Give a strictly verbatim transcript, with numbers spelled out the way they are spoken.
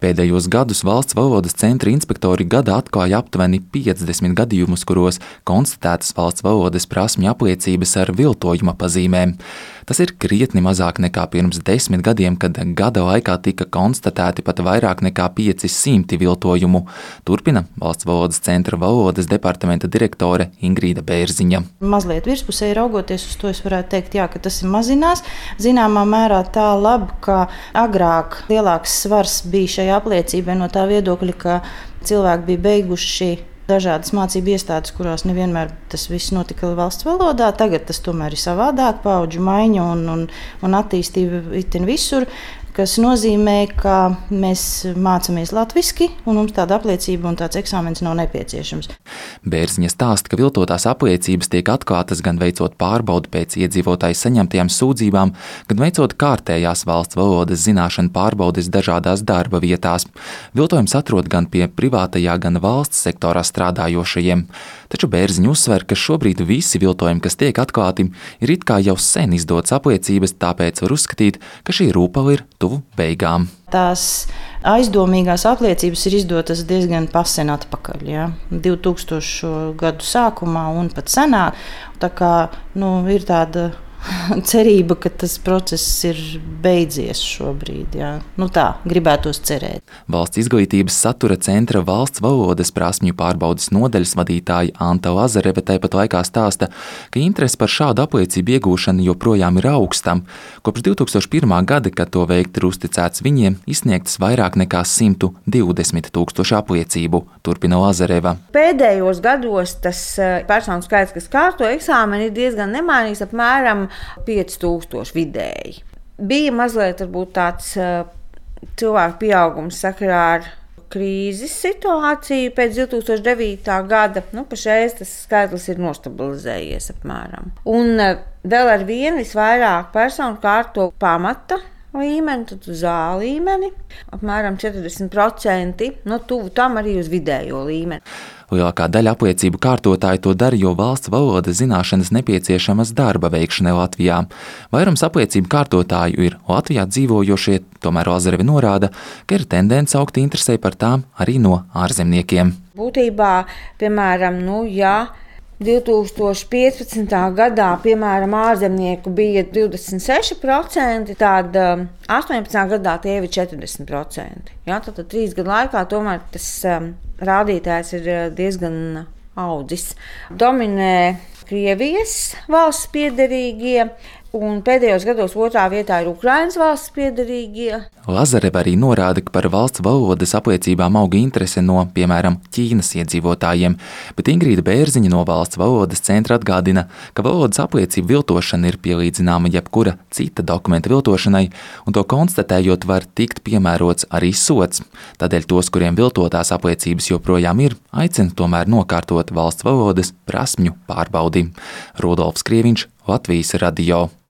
Pēdējos gadus valsts valodas centra inspektori gada atklāja aptuveni piecdesmit gadījumus, kuros konstatētas valsts valodas prasmju apliecības ar viltojuma pazīmēm. Tas ir krietni mazāk nekā pirms desmit gadiem, kad gada laikā tika konstatēti pat vairāk nekā pieci simti viltojumu. Turpina valsts valodas centra valodas departamenta direktore Ingrīda Bērziņa. Mazliet virspusēji raugoties uz to, es varētu teikt, jā, ka tas ir mazinās. Zināmā mērā tā labi, ka agrāk lielāks svars bija šajā apliecībai no tā viedokļa, ka cilvēki bija beiguši dažādas mācību iestādes, kurās nevienmēr tas viss notika valsts valodā. Tagad tas tomēr ir savādāk, paudžu maiņa un, un, un attīstība itin visur, kas nozīmē, ka mēs mācāmies latviski un mums tāda apliecība un tāds eksāmens nav nepieciešams. Bērziņa stāsta, ka viltotās apliecības tiek atklātas gan veicot pārbaudi pēc iedzīvotāju saņemtajām sūdzībām, gan veicot kārtējās valsts valodas zināšanu pārbaudes dažādās darba vietās. Viltojums atrod gan pie privātajā, gan valsts sektorā strādājošajiem. Taču Bērziņa uzsver, ka šobrīd visi viltojumi, kas tiek atklāti, ir it kā jau sen izdotas apliecības, tāpēc var uzskatīt, ka šī rūpala ir tuvu beigām. Tās aizdomīgās apliecības ir izdotas diezgan pasen atpakaļ, ja? divtūkstošo gadu sākumā un pat senāk. Tā kā nu, ir tāda cerība, ka tas process ir beidzies šobrīd. Jā. Nu tā, gribētos cerēt. Valsts izglītības satura centra valsts valodas prasmju pārbaudes nodaļas vadītāja Anta Lazareve tāpat laikā stāsta, ka interese par šādu apliecību iegūšanu joprojām ir augsta. Kopš divtūkstoš pirmā gada, kad to veikt ir uzticēts viņiem, izsniegtas vairāk nekā simt divdesmit tūkstoši apliecību, turpina Lazareva. Pēdējos gados tas personu skaits, kas kārto eksāmeni, ir diezgan nemainīgs, apmēram pieci tūkstoši vidēji. Bija mazliet varbūt tāds uh, cilvēku pieaugums sakarā ar krīzes situāciju pēc divtūkstoš devītā gada. Nu, pašreiz tas skaitlis ir nostabilizējies apmēram. Un uh, vēl ar vienu visvairāk personu kārto pamata līmeni, tad uz A līmeni, apmēram četrdesmit procenti, no tuvu tam arī uz vidējo līmeni. Lielākā daļa apliecību kārtotāji to dara, jo valsts valodas zināšanas nepieciešamas darba veikšanai Latvijā. Vairums apliecību kārtotāju ir Latvijā dzīvojošie, tomēr Lazareve norāda, ka ir tendence augt interesē par tām arī no ārzemniekiem. Būtībā, piemēram, nu, jā, divtūkstoš piecpadsmitā gadā, piemēram, ārzemnieku bija divdesmit seši procenti, tad astoņpadsmitā gadā tie ir četrdesmit procenti. Jā, tad trīs gadu laikā tomēr tas um, rādītājs ir diezgan audzis. Dominē Krievijas valsts piederīgie, un pēdējos gados otrā vietā ir Ukrainas valsts piederīgie. Lazareva arī norāda, ka par valsts valodas apliecībām auga interese no, piemēram, Ķīnas iedzīvotājiem, bet Ingrīda Bērziņa no valsts valodas centra atgādina, ka valodas apliecību viltošana ir pielīdzināma jebkura cita dokumenta viltošanai, un to konstatējot var tikt piemērots arī sods. Tādēļ tos, kuriem viltotās apliecības joprojām ir, aicina tomēr nokārtot valsts valodas prasmju pārbaudi. Rudolfs Krieviņš, Latvijas radio.